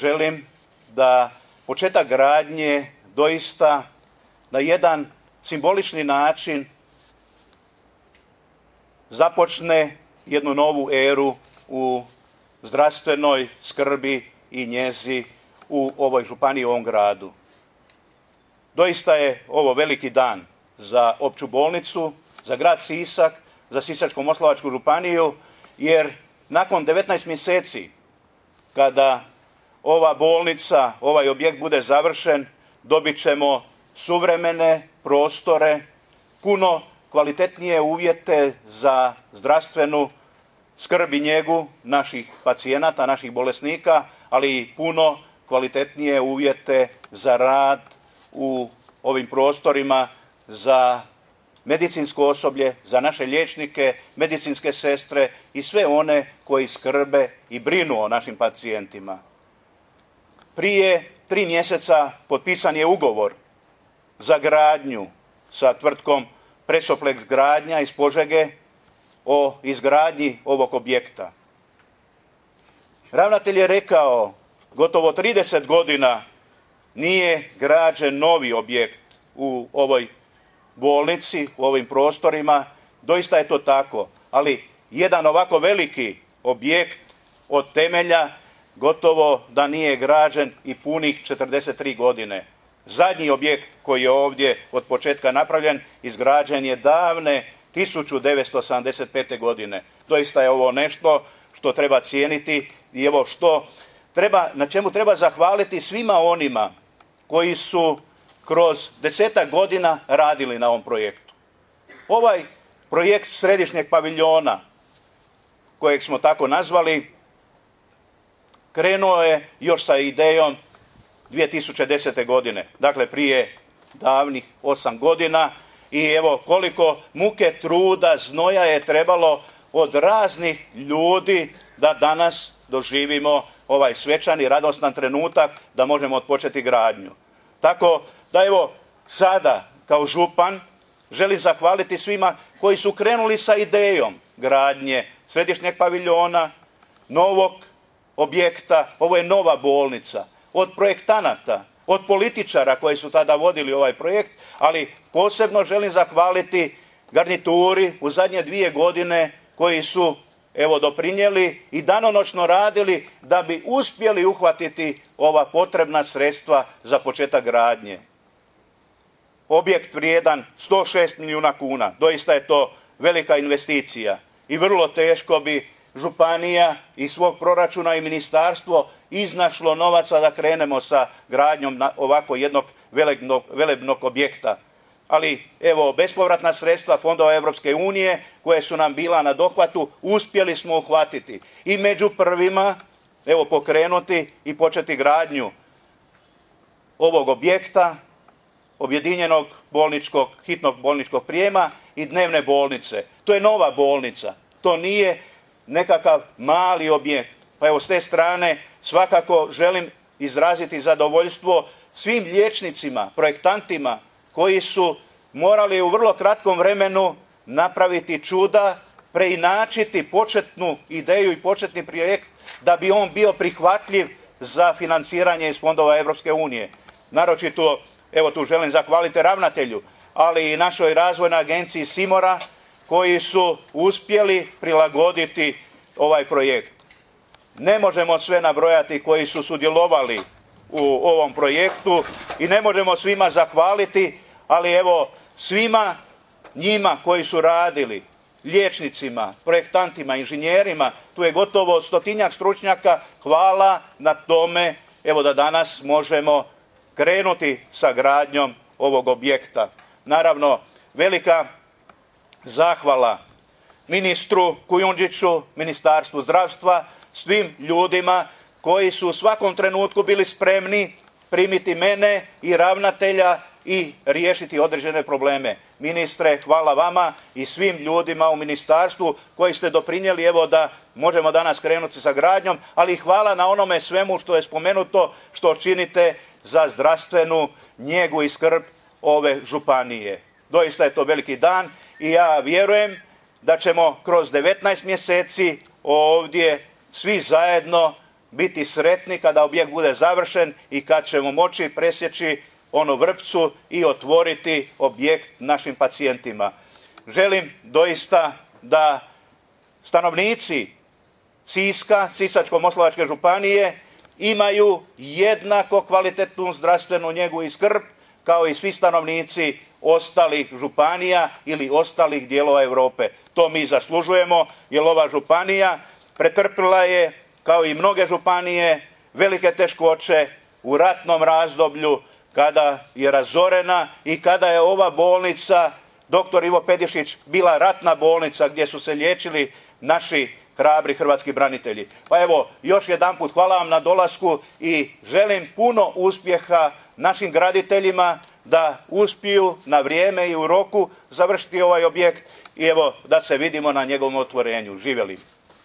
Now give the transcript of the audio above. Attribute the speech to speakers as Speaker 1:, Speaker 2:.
Speaker 1: Želim da početak gradnje doista na jedan simbolični način započne jednu novu eru u zdravstvenoj skrbi i njezi u ovoj županiji, u ovom gradu. Doista je ovo veliki dan za opću bolnicu, za grad Sisak, za Sisačko-moslavačku županiju, jer nakon 19 mjeseci kada ova bolnica, ovaj objekt bude završen, dobit ćemo suvremene prostore, puno kvalitetnije uvjete za zdravstvenu skrb i njegu naših pacijenata, naših bolesnika, ali i puno kvalitetnije uvjete za rad u ovim prostorima za medicinsko osoblje, za naše liječnike, medicinske sestre i sve one koji skrbe i brinu o našim pacijentima. Prije 3 mjeseca potpisan je ugovor za gradnju sa tvrtkom Presoplex gradnja iz Požege o izgradnji ovog objekta. Ravnatelj je rekao, gotovo 30 godina nije građen novi objekt u ovoj bolnici, u ovim prostorima. Doista je to tako, ali jedan ovako veliki objekt od temelja gotovo da nije građen i punih 43 godine. Zadnji objekt koji je ovdje od početka napravljen, izgrađen je davne 1975. godine. Doista je ovo nešto što treba cijeniti i evo na čemu treba zahvaliti svima onima koji su kroz 10-ak godina radili na ovom projektu. Ovaj projekt središnjeg paviljona, kojeg smo tako nazvali, krenuo je još sa idejom 2010. godine, dakle prije davnih 8 godina i evo koliko muke, truda, znoja je trebalo od raznih ljudi da danas doživimo ovaj svečani, radostan trenutak da možemo otpočeti gradnju. Tako da evo sada kao župan želim zahvaliti svima koji su krenuli sa idejom gradnje središnjeg paviljona, novog objekta, ovo je nova bolnica, od projektanata, od političara koji su tada vodili ovaj projekt, ali posebno želim zahvaliti garnituri u zadnje 2 godine koji su evo doprinijeli i danonoćno radili da bi uspjeli uhvatiti ova potrebna sredstva za početak gradnje. Objekt vrijedan 106 milijuna kuna, doista je to velika investicija i vrlo teško bi županija iz svog proračuna i ministarstvo iznašlo novaca da krenemo sa gradnjom ovako jednog velebnog objekta. Ali evo, bespovratna sredstva fondova Europske unije koje su nam bila na dohvatu, uspjeli smo uhvatiti i među prvima evo pokrenuti i početi gradnju ovog objekta, objedinjenog hitnog bolničkog prijema i dnevne bolnice. To je nova bolnica, to nije nekakav mali objekt. Pa evo s te strane svakako želim izraziti zadovoljstvo svim liječnicima, projektantima koji su morali u vrlo kratkom vremenu napraviti čuda, preinačiti početnu ideju i početni projekt da bi on bio prihvatljiv za financiranje iz fondova Europske unije. Naročito, evo tu želim zahvaliti ravnatelju, ali i našoj razvojnoj agenciji Simora koji su uspjeli prilagoditi ovaj projekt. Ne možemo sve nabrojati koji su sudjelovali u ovom projektu i ne možemo svima zahvaliti, ali evo svima njima koji su radili, liječnicima, projektantima, inženjerima, tu je gotovo 100-tinjak stručnjaka, hvala na tome evo da danas možemo krenuti sa gradnjom ovog objekta. Naravno, velika zahvala ministru Kujundžiću, Ministarstvu zdravstva, svim ljudima koji su u svakom trenutku bili spremni primiti mene i ravnatelja i riješiti određene probleme. Ministre, hvala vama i svim ljudima u ministarstvu koji ste doprinijeli evo da možemo danas krenuti sa gradnjom, ali hvala na onome svemu što je spomenuto, što činite za zdravstvenu njegu i skrb ove županije. Doista je to veliki dan i ja vjerujem da ćemo kroz 19 mjeseci ovdje svi zajedno biti sretni kada objekt bude završen i kad ćemo moći presjeći onu vrpcu i otvoriti objekt našim pacijentima. Želim doista da stanovnici Siska, Sisačko-moslavačke županije imaju jednako kvalitetnu zdravstvenu njegu i skrb kao i svi stanovnici ostalih županija ili ostalih dijelova Europe. To mi zaslužujemo, jer ova županija pretrpila je, kao i mnoge županije, velike teškoće u ratnom razdoblju kada je razorena i kada je ova bolnica, dr. Ivo Pedišić, bila ratna bolnica gdje su se liječili naši hrabri hrvatski branitelji. Pa evo, još jedanput hvala vam na dolasku i želim puno uspjeha našim graditeljima da uspiju na vrijeme i u roku završiti ovaj objekt i evo da se vidimo na njegovom otvorenju. Živjeli!